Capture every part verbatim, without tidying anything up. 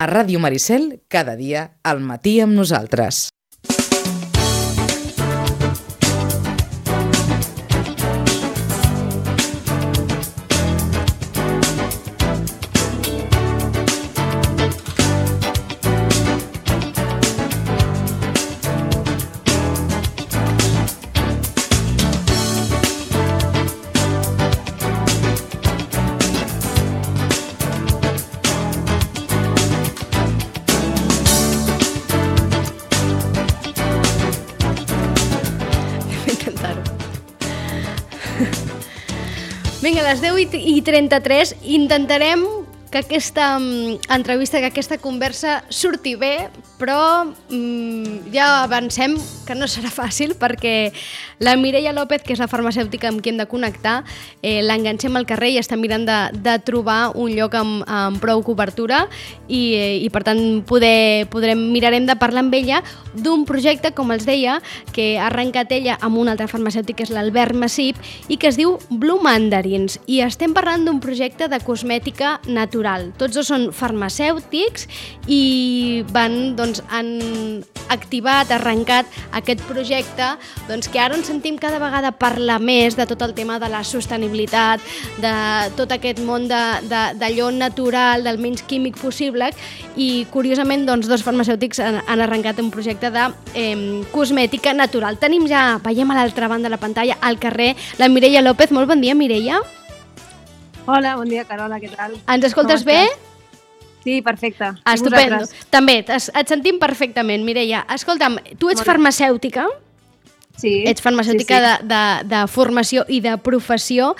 A Ràdio Maricel, cada dia, al matí amb nosaltres. Vinga, a les deu i trenta-tres intentarem que aquesta entrevista, que aquesta conversa surti bé, però mmm, ja avancem que no serà fàcil perquè la Mireia López, que és la farmacèutica amb qui hem de connectar, eh, l'enganxem al carrer i està mirant de, de trobar un lloc amb, amb prou cobertura i, eh, i per tant poder, podrem, mirarem de parlar amb ella d'un projecte, com els deia, que ha arrencat ella amb un altre farmacèutic, que és l'Albert Massip, i que es diu Blue Mandarins. I estem parlant d'un projecte de cosmètica natural. Tots dos són farmacèutics i van, doncs, han activat, arrencat aquest projecte, doncs, que ara ens sentim cada vegada parlar més de tot el tema de la sostenibilitat, de tot aquest món d'allò natural, del menys químic possible, i curiosament doncs, dos farmacèutics han, han arrencat un projecte de eh, cosmètica natural. Tenim ja, veiem a l'altra banda de la pantalla, al carrer, la Mireia López. Molt bon dia, Mireia. Hola, bon dia, Carola, què tal? Ens escoltes bé? Sí, perfecte. Estupendo. També, et sentim perfectament, Mireia. Escolta'm, tu ets farmacèutica? Sí. Ets farmacèutica sí, sí. De, de, de formació i de professió,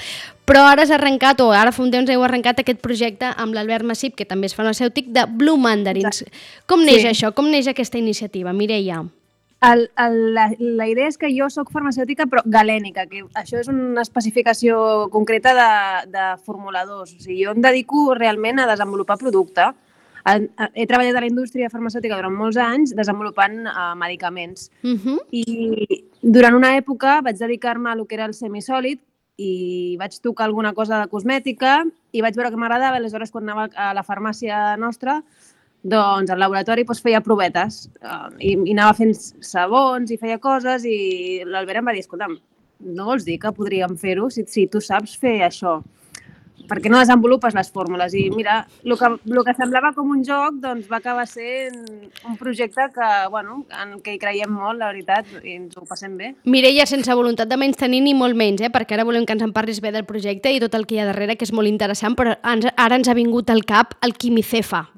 però ara has arrencat, o ara fa un temps heu arrencat aquest projecte amb l'Albert Massip, que també és farmacèutic, de Blue Mandarins. Exacte. Com neix sí. això? Com neix aquesta iniciativa, Mireia? El, el, la, la idea és que jo sóc farmacèutica però galènica, que això és una especificació concreta de, de formuladors. O sigui, jo em dedico realment a desenvolupar producte. He treballat a la indústria farmacèutica durant molts anys desenvolupant uh, medicaments. Uh-huh. I durant una època vaig dedicar-me a lo que era el semisòlid i vaig tocar alguna cosa de cosmètica i vaig veure que m'agradava. Aleshores, quan anava a la farmàcia nostra, doncs al laboratori doncs, feia provetes uh, i, i anava fent sabons i feia coses i l'Albert em va dir, escolta'm, no vols dir que podríem fer-ho si, si tu saps fer això? Per què no desenvolupes les fórmules? I mira, el que, el que semblava com un joc doncs, va acabar sent un projecte que, bueno, en què hi creiem molt, la veritat, i ens ho passem bé. Mireia, sense voluntat de menys tenir ni molt menys, eh? Perquè ara volem que ens en parlis bé del projecte i tot el que hi ha darrere, que és molt interessant, però ens, ara ens ha vingut al cap el quimicefa.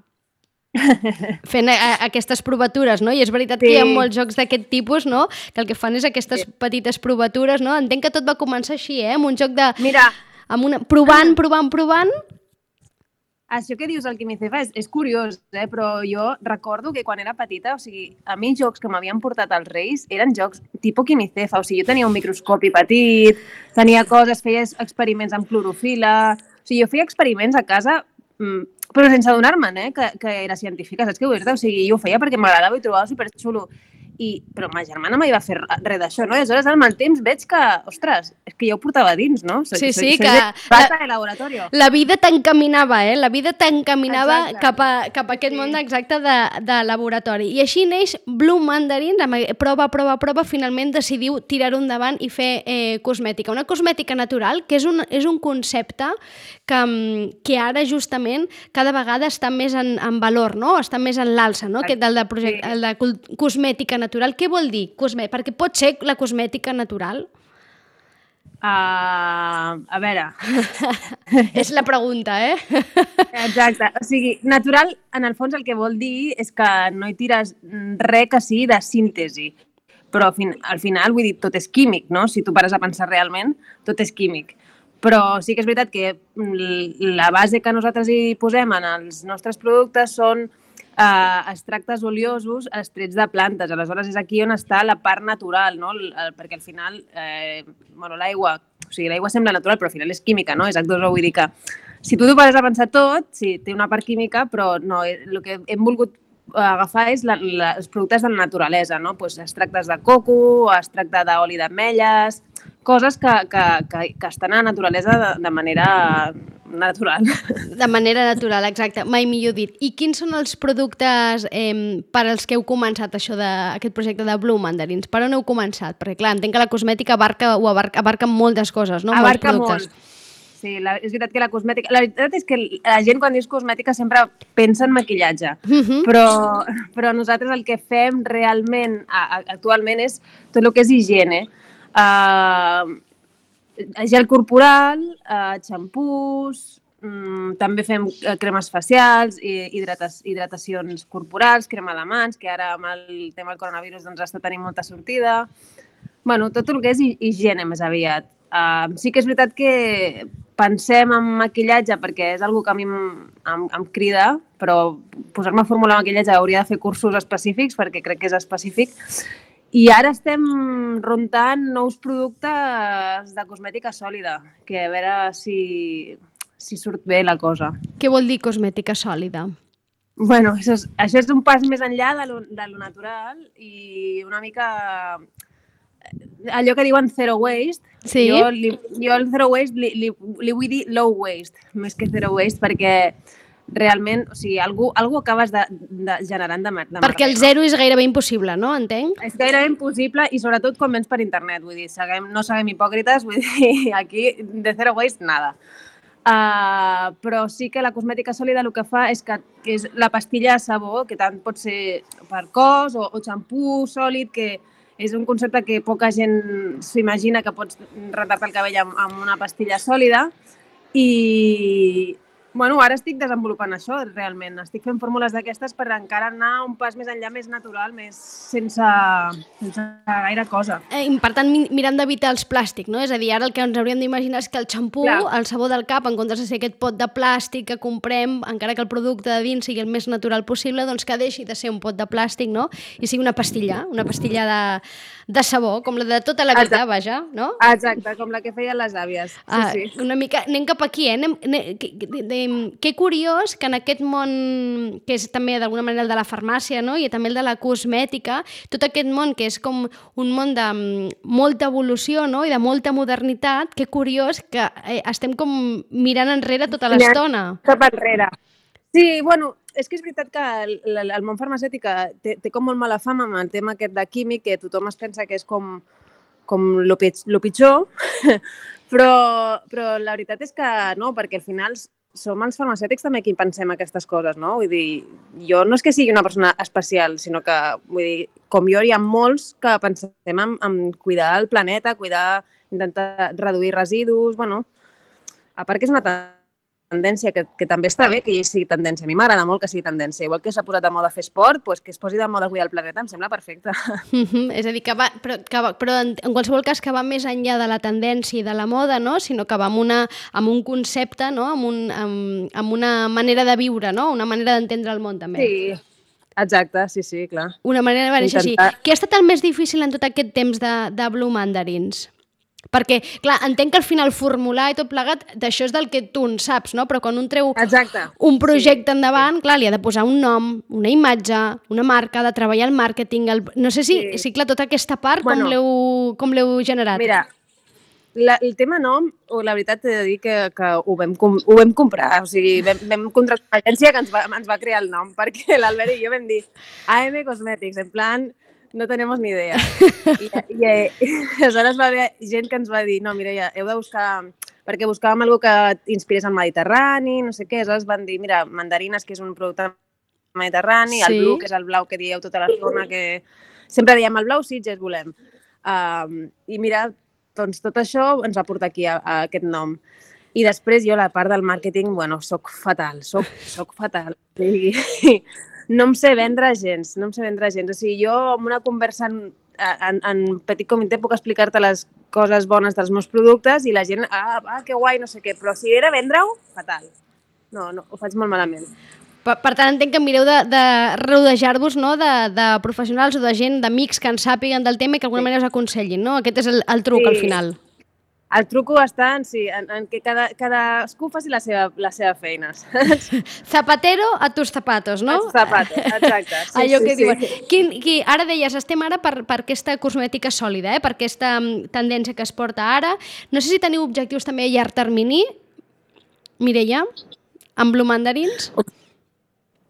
Fent a, a, aquestes provatures, no? I és veritat sí. que hi ha molts jocs d'aquest tipus, no? Que el que fan és aquestes sí. petites provatures, no? Entenc que tot va començar així, eh? Amb un joc de... Mira... Amb una... Provant, provant, provant... Això que dius, el quimicefa, és, és curiós, eh? Però jo recordo que quan era petita, o sigui, a mi jocs que m'havien portat als Reis eren jocs tipus quimicefa, o sigui, jo tenia un microscopi petit, tenia coses, feia experiments amb clorofila... O sigui, jo feia experiments a casa... però sense adonar-me'n, eh, que, que era científica, saps què vull dir? O sigui, jo ho feia perquè m'agradava i trobava superxulo. I, però ma germana mai va fer res d'això, no? I aleshores, al mal temps, veig que, ostres, és que jo ho portava dins, no? Soy, sí, sí, soy, que... Plata de laboratorio. La vida t'encaminava, eh? La vida t'encaminava cap, a, cap a aquest sí. món exacte de, de laboratori. I així neix Blue Mandarins, amb prova, prova, prova, finalment decidiu tirar-ho endavant i fer eh, cosmètica. Una cosmètica natural, que és un, és un concepte que, que ara justament cada vegada està més en, en valor, no? Està més en l'alça, no? Aquest del de, projecte, sí. el de cosmètica natural. Què vol dir? Cosmè... Perquè pot ser la cosmètica natural? Uh, a veure... És la pregunta, eh? Exacte. O sigui, natural, en el fons, el que vol dir és que no hi tires res que sigui de síntesi. Però al final, vull dir, tot és químic, no? Si tu pares a pensar realment, tot és químic. Però sí que és veritat que la base que nosaltres hi posem en els nostres productes són Uh, extractes oliosos extrets de plantes. Aleshores, és aquí on està la part natural, no? El, el, perquè al final, eh, bueno, l'aigua, o sigui, l'aigua sembla natural, però al final és química, no? És H dos O, vull dir que si tu t'ho pares a pensar tot, sí, té una part química, però no, el que hem volgut agafar és la, la, els productes de la naturalesa, no? Pues extractes de coco, extracte d'oli d'ametlles, coses que, que, que, que estan a la naturalesa de, de manera natural. De manera natural, exacte, mai millor dit. I quins són els productes eh, per als que heu començat això de, aquest projecte de Blue Mandarins? Per on heu començat? Perquè clar, entenc que la cosmètica abarca, ho abarca, abarca moltes coses, no? Abarca molts productes. molt. Sí, la, és veritat que la cosmètica... La veritat és que la gent quan dius cosmètica sempre pensa en maquillatge, Uh-huh. però, però nosaltres el que fem realment a, a, actualment és tot el que és higiene. Uh, gel corporal, uh, xampús, um, també fem uh, cremes facials, i hidrates, hidratacions corporals, crema de mans, que ara amb el tema del coronavirus doncs, està tenint molta sortida. Bueno, tot el que és higiene més aviat. Uh, sí que és veritat que pensem en maquillatge perquè és una que a mi em, em, em crida, però posar-me a formular maquillatge hauria de fer cursos específics perquè crec que és específic. I ara estem rentant nous productes de cosmètica sòlida, que a veure si, si surt bé la cosa. Què vol dir cosmètica sòlida? Bueno, això és, això és un pas més enllà de lo, de lo natural i una mica allò que diuen zero waste. Sí. Jo, li, jo el zero waste li, li, li vull dir low waste, més que zero waste, perquè realment, o sigui, algú, algú acabes de, de generant de, de Perquè el zero és gairebé impossible, no? Entenc? És gairebé impossible i sobretot quan vens per internet, vull dir, seguem, no seguem hipòcrites, vull dir, aquí de zero waste, nada. Uh, però sí que la cosmètica sòlida el que fa és que, que és la pastilla de sabó, que tant pot ser per cos o, o xampú sòlid, que és un concepte que poca gent s'imagina que pots rentar-te el cabell amb, amb una pastilla sòlida i, bueno, ara estic desenvolupant això, realment. Estic fent fórmules d'aquestes per encara anar un pas més enllà, més natural, més sense, sense gaire cosa. Eh, per tant, mirant d'evitar els plàstics, no? És a dir, ara el que ens hauríem d'imaginar és que el xampú, Clar. el sabó del cap, en comptes de ser aquest pot de plàstic que comprem, encara que el producte de dins sigui el més natural possible, doncs que deixi de ser un pot de plàstic, no? I sigui una pastilla, una pastilla de, de sabó, com la de tota la vida, Exacte. Vaja, no? Exacte, com la que feien les àvies. Sí, Ah, sí. una mica, anem cap aquí, eh? Anem, anem, que, de, de, que curiós que en aquest món, que és també d'alguna manera el de la farmàcia, no? I també el de la cosmètica, tot aquest món que és com un món de mm, molta evolució, no? I de molta modernitat, que curiós que eh, estem com mirant enrere tota l'estona. Cap enrere. Sí, bueno, és que és veritat que el, el, el món farmacèutic té, té com molt mala fama amb el tema aquest de químic, que tothom es pensa que és com, com lo, pit, lo pitjor, però, però la veritat és que no, perquè al final som els farmacèutics també qui pensem aquestes coses, no? Vull dir, jo no és que sigui una persona especial, sinó que, vull dir, com jo hi ha molts que pensem en, en cuidar el planeta, cuidar, intentar reduir residus, bueno, a part que és una tendència que, que també està bé que hi sigui tendència. A mi m'agrada molt que sigui tendència. Igual que s'ha posat de moda fer esport, doncs que es posi de moda cuidar el planeta, em sembla perfecte. Mm-hmm. És a dir, que va, però, que va, però en, en qualsevol cas que va més enllà de la tendència i de la moda, no? Sinó que va amb, una, amb un concepte, no? Amb, un, amb, amb una manera de viure, no? Una manera d'entendre el món, també. Sí, exacte, sí, sí, clar. Una manera de néixer així. Intentar- Què ha estat el més difícil en tot aquest temps de, de Blue Mandarins? Perquè, clar, entenc que al final formular i tot plegat, d'això és del que tu en saps, no? Però quan un treu Exacte. un projecte sí, endavant, sí. Clar, li ha de posar un nom, una imatge, una marca, de treballar el màrqueting, el... no sé si, sí. si clar, tota aquesta part, Bueno, com l'heu com l'heu generat? Mira, la, el tema nom, la veritat he de dir que, que ho, vam, com- ho vam comprar, o sigui, vam, vam contractar una agència que ens va, ens va crear el nom, perquè l'Albert i jo vam dir A M Cosmetics, en plan, no tenemos ni idea. I, i, i aleshores va haver gent que ens va dir, no, Mireia, heu de buscar, perquè buscàvem alguna que inspirés al Mediterrani, no sé què, aleshores van dir, mira, mandarines, que és un producte mediterrani, Sí. el blu, que és el blau que dieu tota l'estona, que sempre diem el blau Sitges volem. Um, I mira, doncs tot això ens va portar aquí a, a aquest nom. I després jo, la part del màrqueting, bueno, soc fatal, soc, soc fatal. I, no em sé vendre gens, no em sé vendre gens. O sigui, jo amb una conversa en, en, en petit comitè puc explicar-te les coses bones dels meus productes i la gent, ah, ah que guai, no sé què, però si era vendre-ho, fatal. No, no, ho faig molt malament. Per, per tant, entenc que mireu de, de rodejar-vos, no? de, de professionals o de gent, d'amics que en sàpiguen del tema i que d'alguna Sí. manera us aconsellin, no? Aquest és el, el truc, Sí. al final. El truco està en, sí, en, en que cada, cadascú faci la seva, la seva feina. Zapatero a tus zapatos, no? Els zapatos, exacte. Sí, Allò sí, que sí. diuen. Quin, qui, ara deies, estem ara per, per aquesta cosmètica sòlida, eh? Per aquesta mm, tendència que es porta ara. No sé si teniu objectius també a llarg termini. Mireia, amb Blue Mandarins?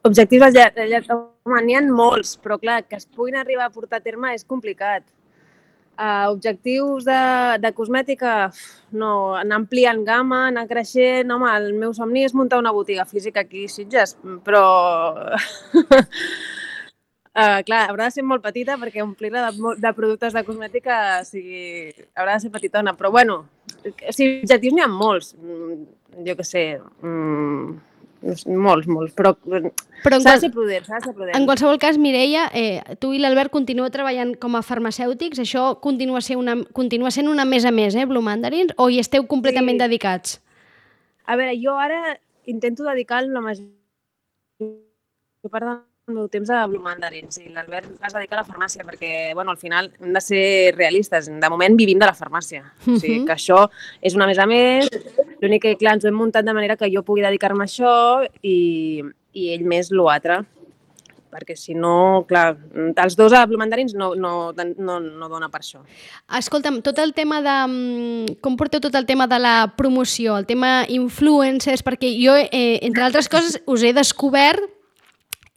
Objectius a llarg, a llarg, home, n'hi ha molts, però clar, que es puguin arribar a portar a terme és complicat. Uh, objectius de, de cosmètica, no, anar ampliant gamma, anar creixent, home, el meu somni és muntar una botiga física aquí a Sitges, però uh, clar, haurà de ser molt petita perquè omplir-la de, de productes de cosmètica sigui, haurà de ser petitona, però bueno, si objectius n'hi ha molts, jo què sé, mm, molts, molts, però, però s'ha de ser prudent, s'ha de ser prudent. En qualsevol cas, Mireia, eh, tu i l'Albert continueu treballant com a farmacèutics, això continua, ser una, continua sent una més a més, eh, Blue Mandarins, o hi esteu completament sí. dedicats? A veure, jo ara intento dedicar la major part del meu temps a Blue Mandarins i l'Albert es dedica a la farmàcia perquè, bueno, al final hem de ser realistes. De moment vivim de la farmàcia. Uh-huh. O sigui, que això és una més a més. L'únic que, clar, ens ho hem muntat de manera que jo pugui dedicar-me a això i, i ell més l'altre. Perquè si no, clar, els dos a Blue Mandarins no, no, no, no dona per això. Escolta'm, tot el tema de... Com porteu tot el tema de la promoció, el tema influencers? Perquè jo, eh, entre altres coses, us he descobert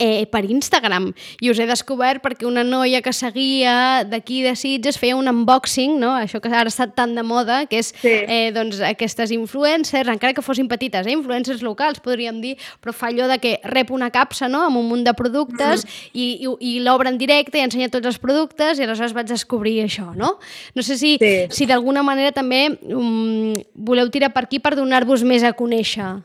Eh, per Instagram, i us he descobert perquè una noia que seguia d'aquí de Sitges feia un unboxing, no? Això que ara ha estat tan de moda, que és sí. eh, doncs, aquestes influencers, encara que fossin petites, eh? influencers locals, podríem dir, però fa allò de que rep una capsa, no? Amb un munt de productes mm-hmm. i, i, i l'obre en directe i ensenya tots els productes i aleshores vaig descobrir això, no? No sé si, sí. si d'alguna manera també um, voleu tirar per aquí per donar-vos més a conèixer.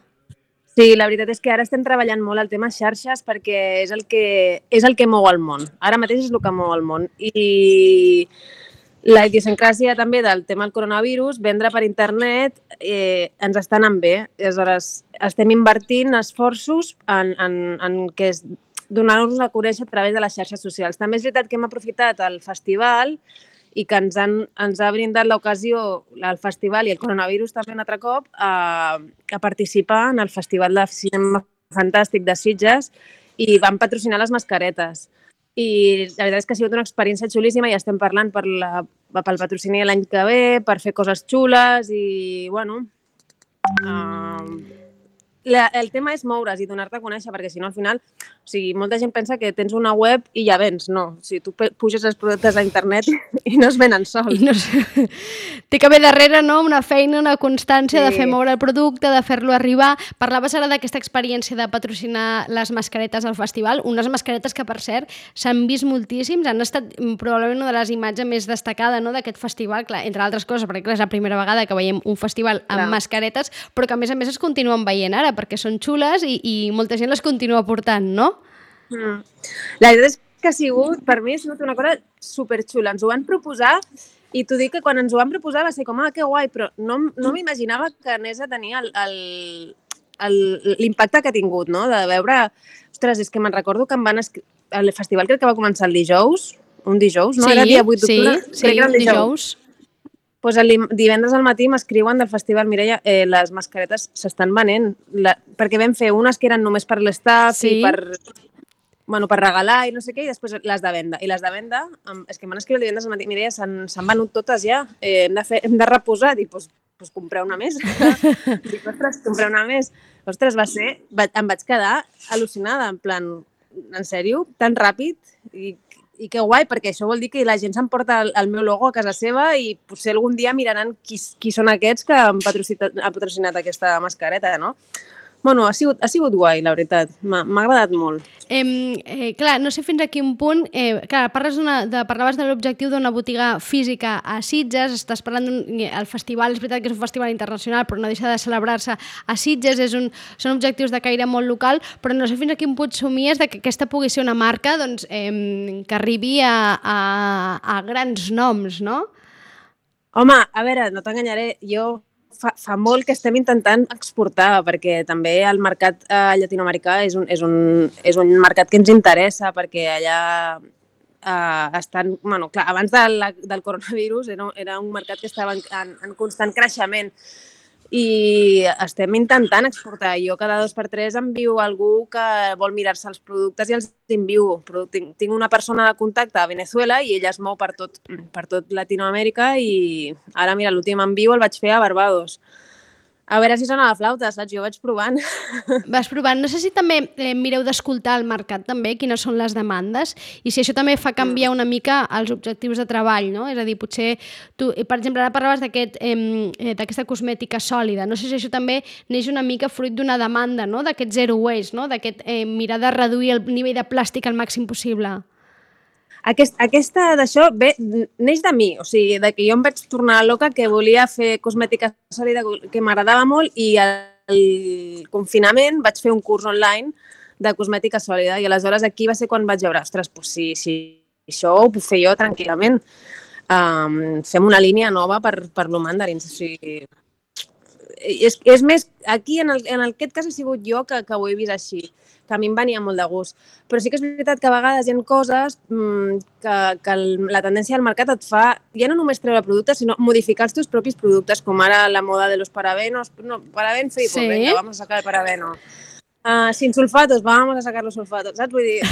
Sí, la veritat és que ara estem treballant molt el tema xarxes perquè és el que, és el que mou el món. Ara mateix és el que mou el món. I la idiosincràsia també del tema del coronavirus, vendre per internet, eh, ens està anant bé. Aleshores, estem invertint esforços en, en, en que és donar-nos a conèixer a través de les xarxes socials. També és veritat que hem aprofitat el festival i que ens, han, ens ha brindat l'ocasió, el festival i el coronavirus també un altre cop, a, a participar en el Festival de Cinema Fantàstic de Sitges i van patrocinar les mascaretes. I la veritat és que ha sigut una experiència xulíssima i estem parlant per la, pel patrocini l'any que ve, per fer coses xules i, bueno... Uh, La, el tema és moure's i donar-te a conèixer, perquè si no, al final, o sigui, molta gent pensa que tens una web i ja vens. No, o sigui, tu puges els productes a internet i no es venen sols. No sé. Té que haver darrere, no?, una feina, una constància sí. de fer moure el producte, de fer-lo arribar. Parlaves ara d'aquesta experiència de patrocinar les mascaretes al festival, unes mascaretes que, per cert, s'han vist moltíssims, han estat probablement una de les imatges més destacades, no?, d'aquest festival, clar, entre altres coses, perquè clar, és la primera vegada que veiem un festival amb clar. mascaretes, però que a més a més es continuen veient ara, perquè són xules i, i molta gent les continua portant, no? Mm. La veritat és que ha sigut, per mi, ha sigut una cosa superxula. Ens ho van proposar i t'ho dic que quan ens ho van proposar va ser com, ah, que guai, però no, no m'imaginava que anés a tenir l'impacte que ha tingut, no? De veure... Ostres, és que me'n recordo que em van escriure... El festival crec que va començar el dijous, un dijous, no? Sí, Era dia vuit d'octubre. Sí, sí, dijous. dijous. Pues el divendres al matí m'escriuen del festival, Mireia, eh, les mascaretes s'estan venent, la, perquè vam fer unes que eren només per l'estaf sí. i per, bueno, per regalar i no sé què, i després les de venda. I les de venda, és que m'han escrit el divendres al matí, Mireia, s'han venut totes ja, eh, hem, de fer, hem de reposar, dic, doncs pues, pues comprar una més. Dic, ostres, comprar una més. Ostres, va ser, va, em vaig quedar al·lucinada, en plan, en sèrio, tan ràpid, i I que guai, perquè això vol dir que la gent s'emporta el, el meu logo a casa seva i potser algun dia miraran qui, qui són aquests que han patrocinat, han patrocinat aquesta mascareta, no? Bueno, ha sigut, ha sigut guai, la veritat. M'ha agradat molt. Eh, eh, clar, no sé fins a quin punt... Eh, clar, parles de, parlaves de l'objectiu d'una botiga física a Sitges, estàs parlant del festival, és veritat que és un festival internacional, però no deixa de celebrar-se a Sitges, és un, són objectius de caire molt local, però no sé fins a quin punt somies de que aquesta pugui ser una marca doncs, eh, que arribi a, a, a grans noms, no? Home, a veure, no t'enganyaré, jo... Fa, fa molt que estem intentant exportar, perquè també el mercat eh, llatinoamericà és un, és, un, és un mercat que ens interessa, perquè allà eh, estan... Bueno, clar, abans de la, del coronavirus era, era un mercat que estava en, en, en constant creixement i estem intentant exportar. Jo cada dos per tres envio algú que vol mirar-se els productes i els envio. Tinc, tinc una persona de contacte a Venezuela i ella es mou per tot, per tot Latinoamèrica i ara, mira, l'últim envio el vaig fer a Barbados. A veure si sona la flauta, saps? Jo vaig provant. Vas provant. No sé si també eh, mireu d'escoltar al mercat també, quines són les demandes, i si això també fa canviar una mica els objectius de treball, no? És a dir, potser tu, per exemple, ara parlaves d'aquest, eh, d'aquesta cosmètica sòlida. No sé si això també neix una mica fruit d'una demanda, no? D'aquest zero waste, no? D'aquest eh, mirar de reduir el nivell de plàstic al màxim possible. Aquest, aquesta d'això ve, neix de mi, o sigui, de que jo em vaig tornar loca, que volia fer cosmètica sòlida, que m'agradava molt, i al confinament vaig fer un curs online de cosmètica sòlida, i aleshores aquí va ser quan vaig veure, ostres, doncs si, si això ho puc fer jo tranquil·lament, um, fem una línia nova per, per Blue Mandarins, o sigui, és, és més, aquí en, el, en aquest cas he sigut jo que, que ho he vist així, que a mi em venia molt de gust. Però sí que és veritat que a vegades hi ha coses mmm, que, que la tendència del mercat et fa, ja no només treure productes, sinó modificar els teus propis productes, com ara la moda de los parabenos. No, paraben free, sí. Pues venga, vamos a sacar el parabeno. Uh, sin sulfatos, vamos a sacar los sulfatos, saps? Vull dir...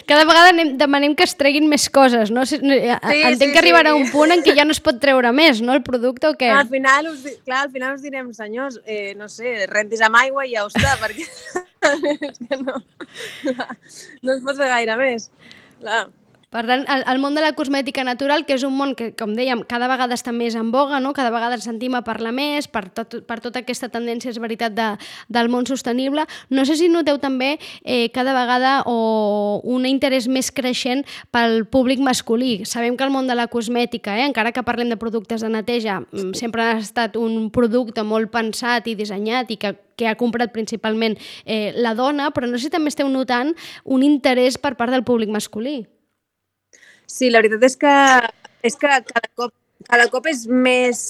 Cada vegada anem, demanem que es treguin més coses, no? Sí, Entenc sí, que arribarà sí. un punt en què ja no es pot treure més, no, el producte, o què? Al final us, clar, al final us direm, senyors, eh, no sé, rentis amb aigua i ja ho està, perquè és que no, no es pot fer gaire més. Clar. Per tant, el, el món de la cosmètica natural, que és un món que, com dèiem, cada vegada està més en boga, no? Cada vegada ens sentim a parlar més per, tot, per tota aquesta tendència, és veritat, de, del món sostenible. No sé si noteu també eh, cada vegada o un interès més creixent pel públic masculí. Sabem que el món de la cosmètica, eh, encara que parlem de productes de neteja, sempre ha estat un producte molt pensat i dissenyat i que que ha comprat principalment eh, la dona, però no sé si també esteu notant un interès per part del públic masculí. Sí, la veritat és que, és que cada, cop, cada cop és més...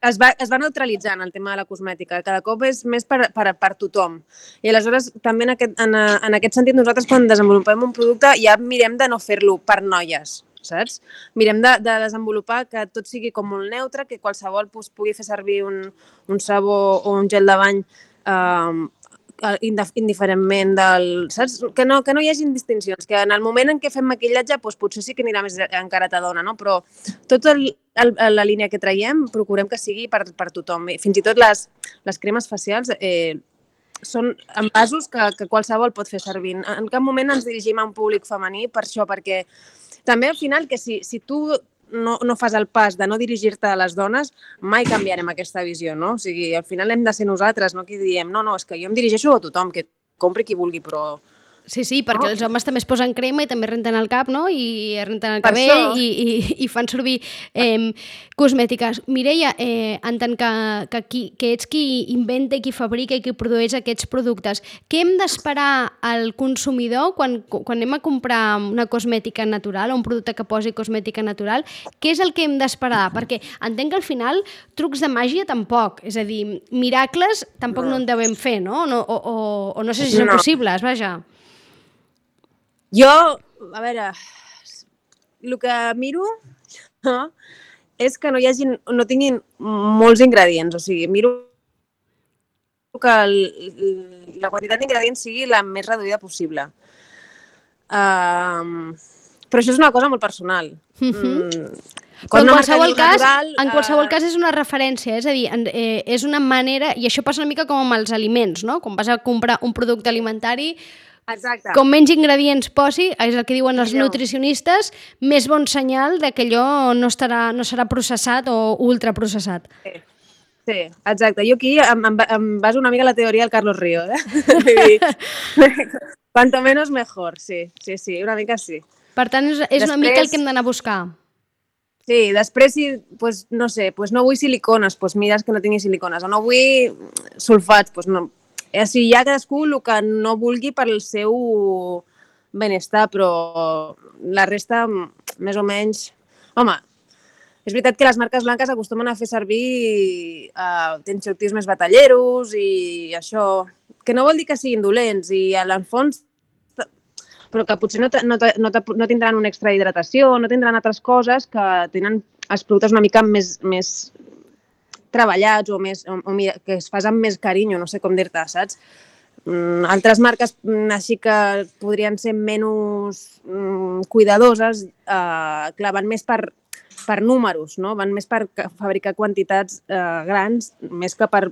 Es va, es va neutralitzant el tema de la cosmètica, cada cop és més per, per, per tothom. I aleshores, també en aquest, en, en aquest sentit, nosaltres quan desenvolupem un producte ja mirem de no fer-lo per noies, saps? Mirem de, de desenvolupar que tot sigui com molt neutre, que qualsevol pues, pugui fer servir un, un sabó o un gel de bany eh, indiferentment del... Saps? Que no, que no hi hagi distincions, que en el moment en què fem maquillatge doncs potser sí que anirà més encarat a dona, no? Però tota la línia que traiem procurem que sigui per, per tothom. Fins i tot les, les cremes facials eh, són envasos que, que qualsevol pot fer servir. En cap moment ens dirigim a un públic femení per això, perquè també al final que si, si tu no, no fas el pas de no dirigir-te a les dones, mai canviarem aquesta visió, no? O sigui, al final hem de ser nosaltres, no? Qui diem, no, no, és que jo em dirigeixo a tothom, que compri qui vulgui, però... Sí, sí, perquè oh. els homes també es posen crema i també renten el cap, no? I renten el cabell i, i, i fan servir eh, cosmètiques. Mireia, eh, en tant que, que, qui, que ets qui inventa i qui fabrica i qui produeix aquests productes, què hem d'esperar al consumidor quan, quan anem a comprar una cosmètica natural o un producte que posi cosmètica natural? Què és el que hem d'esperar? Perquè entenc que al final trucs de màgia tampoc, és a dir, miracles tampoc no, no en devem fer, no? no o, o, o no sé si són no. possibles, vaja. Jo, a veure, el que miro no, és que no hi hagin, no tinguin molts ingredients, o sigui, miro que el, la quantitat d'ingredients sigui la més reduïda possible. Um, però això és una cosa molt personal. Mm-hmm. Mm, Però en qualsevol, cas, natural, en qualsevol uh... cas és una referència, és a dir, eh, és una manera, i això passa una mica com amb els aliments, no? Quan vas a comprar un producte alimentari, exacte. Com menys ingredients posi, és el que diuen els Millor. nutricionistes, més bon senyal de que allò no, estarà, no serà processat o ultraprocessat. Sí. Sí, exacte. Jo aquí em, em, em baso una mica la teoria del Carlos Ríos, eh? Cuanto menos mejor, sí, sí, sí, una mica sí. Per tant, és, és després... una mica el que hem d'anar a buscar. Sí, després, si, pues, no sé, pues no vull silicones, pues mires que no tingui silicones, o no vull sulfats, pues no. O sigui, hi ha cadascú el que no vulgui per al seu benestar, però la resta, més o menys... Home, és veritat que les marques blanques acostumen a fer servir uh, tensioactius més batalleros i això, que no vol dir que siguin dolents, i a l'enfons, però que potser no, no, no, no tindran una extra hidratació, no tindran altres coses que tenen els productes una mica més... més treballats o, més, o, o que es fas amb més carinyo, no sé com dir-te, saps? Mm, altres marques mm, així que podrien ser menys mm, cuidadoses, eh, clar, van més per per números, no? Van més per fabricar quantitats eh, grans, més que per,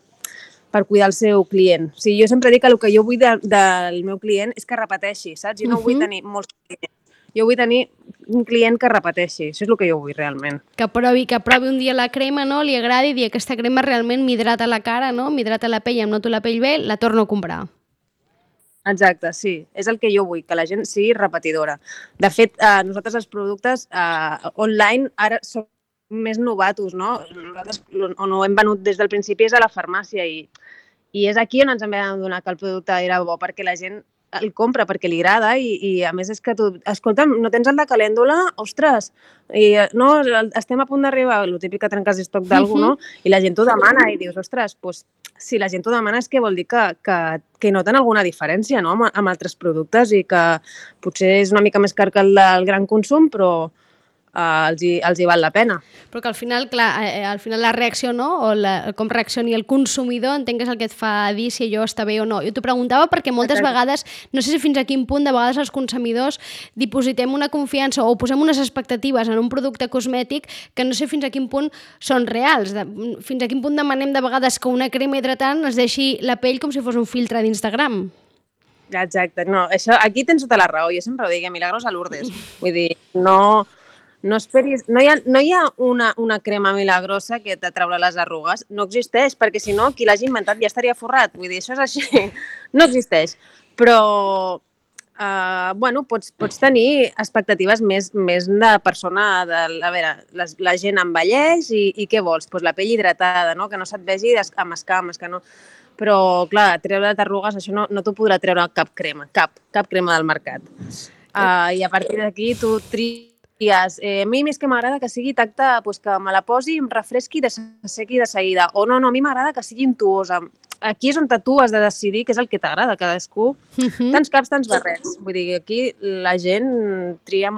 per cuidar el seu client. O sigui, jo sempre dic que el que jo vull de, del meu client és que repeteixi, saps? Jo no uh -huh. vull tenir molts clients. Jo vull tenir un client que repeteixi. Això és el que jo vull realment. Que provi, que provi un dia la crema, no? Li agradi i dir aquesta crema realment m'hidrata la cara, no? M'hidrata la pell, em noto la pell bé, la torno a comprar. Exacte, sí. És el que jo vull, que la gent sigui repetidora. De fet, eh, nosaltres els productes eh, online ara som més novatos, no? Nosaltres on ho hem venut des del principi és a la farmàcia i, i és aquí on ens hem d'adonar que el producte era bo, perquè la gent el compra perquè li agrada i, i a més és que tu, escolta'm, no tens el de calèndula? Ostres, i, no, estem a punt d'arribar, el típic que trenques estoc d'algú, no? I la gent t'ho demana i dius, ostres, doncs, si la gent t'ho demana és que vol dir que, que, que noten alguna diferència, no?, amb, amb altres productes i que potser és una mica més car que el del gran consum, però Uh, els, hi, els hi val la pena. Però que al final, clar, eh, al final la reacció, no? O la, com reaccioni el consumidor, entenc que és el que et fa dir si allò està bé o no. Jo t'ho preguntava perquè moltes Exacte. vegades, no sé si fins a quin punt, de vegades els consumidors dipositem una confiança o posem unes expectatives en un producte cosmètic que no sé fins a quin punt són reals. De, fins a quin punt demanem de vegades que una crema hidratant es deixi la pell com si fos un filtre d'Instagram. Exacte, no, això, aquí tens tota la raó. Jo sempre ho dic, milagros a Lourdes. Vull dir, no... No esperis, no hi ha, no hi ha una, una crema milagrosa que t'atraurà les arrugues, no existeix, perquè si no, qui l'hagi inventat ja estaria forrat, vull dir, això és així, no existeix. Però, uh, bueno, pots, pots tenir expectatives més, més de persona, de, a veure, les, la gent envelleix i, i què vols? Pues la pell hidratada, no? Que no se't vegi amb escames, que no... Però, clar, treure arrugues, això no, no t'ho podrà treure cap crema, cap, cap crema del mercat. Uh, I a partir d'aquí tu tries Eh, a mi més que m'agrada que sigui tacte, pues, que me la posi, em refresqui i s'assequi de seguida. O no, no, a mi m'agrada que sigui intuosa. Aquí és on tu has de decidir què és el que t'agrada, cadascú. Uh-huh. Tants caps, tants barrets. Vull dir, aquí la gent tria...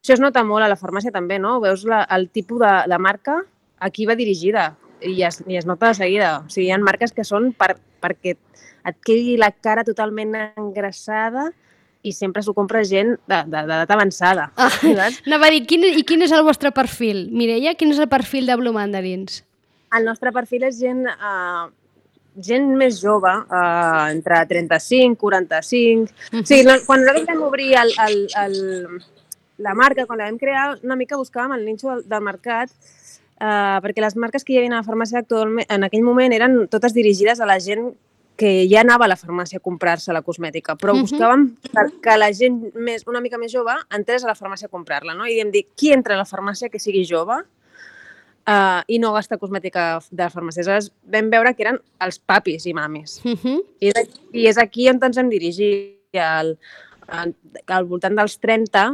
Això es nota molt a la farmàcia també, no? Veus la, el tipus de, de marca a qui va dirigida i es, i es nota de seguida. O sigui, hi ha marques que són per, perquè et quedi la cara totalment engrassada i sempre s'ho compra gent d'edat avançada. Ah, anava a dir, quin, i quin és el vostre perfil? Mireia, quin és el perfil de Blue Mandarins? El nostre perfil és gent, uh, gent més jove, uh, entre trenta-cinc, quaranta-cinc... Uh-huh. O sigui, no, quan nosaltres vam obrir el, el, el, la marca, quan la vam crear, una mica buscàvem el nicho del, del mercat, uh, perquè les marques que hi havia a la farmàcia actualment, en aquell moment eren totes dirigides a la gent que ja anava a la farmàcia a comprar-se la cosmètica, però uh-huh. buscàvem que, que la gent més, una mica més jove entrés a la farmàcia a comprar-la, no? I vam dir, qui entra a la farmàcia que sigui jove uh, i no gasta cosmètica de la farmàcia? Aleshores vam veure que eren els papis i mamis. Uh-huh. I, I és aquí on ens hem dirigit, al, al, al voltant dels trenta,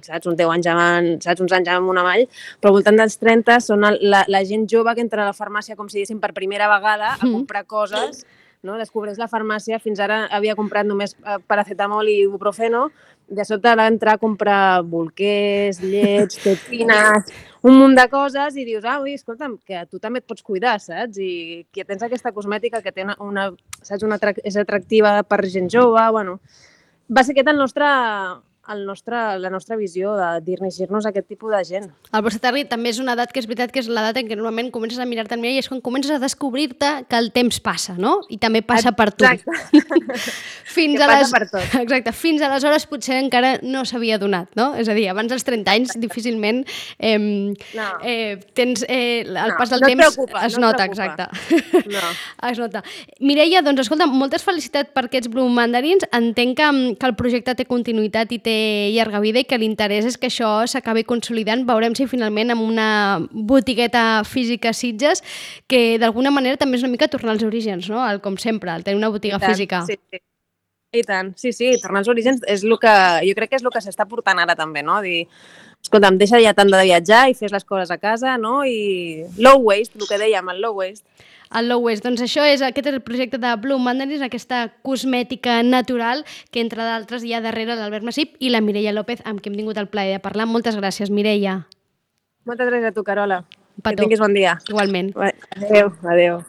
saps, uns deu anys amb, saps, uns anys amb una mall, però al voltant dels trenta són el, la, la gent jove que entra a la farmàcia com si diguéssim per primera vegada a comprar coses, no? Descobreix la farmàcia, fins ara havia comprat només paracetamol i ibuprofeno, de sobte va entrar a comprar bolquers, llets, tetines, un munt de coses i dius, ah, ui, escolta'm, que tu també et pots cuidar, saps? I que tens aquesta cosmètica que té una, una, saps, una, és atractiva per gent jove, bueno, va ser aquest el nostre... El nostre, la nostra visió de dirigir-nos a aquest tipus de gent. El vostre target també és una edat que és veritat que és l'edat en què normalment comences a mirar-te al mirall i és quan comences a descobrir-te que el temps passa, no? I també passa per tu. Exacte. fins a les... per tot. Exacte. Fins aleshores potser encara no s'havia donat, no? És a dir, abans dels trenta anys difícilment eh, no. eh, tens eh, el no, pas del no temps preocupa, es no nota, preocupa. exacte. No. Es nota. Mireia, doncs escolta, moltes felicitats per aquests Blue Mandarins. Entenc que, que el projecte té continuïtat i té llarga vida i que l'interès és que això s'acabi consolidant. Veurem si finalment amb una botigueta física a Sitges, que d'alguna manera també és una mica tornar als orígens, no? El, com sempre, el tenir una botiga tant, física. Sí, sí. I tant, sí, sí, tornar als orígens és el que, jo crec que és el que s'està portant ara també, no? Dir, escolta'm, deixa ja tant de viatjar i fes les coses a casa, no? I low waste, el que dèiem, el low waste. El Low Waste. Doncs això és, aquest és el projecte de Blue Mandarins, aquesta cosmètica natural que, entre d'altres, hi ha darrere l'Albert Masip i la Mireia López, amb qui hem tingut el plaer de parlar. Moltes gràcies, Mireia. Moltes gràcies a tu, Carola. Petó. Que tinguis bon dia. Igualment. Adéu, adéu.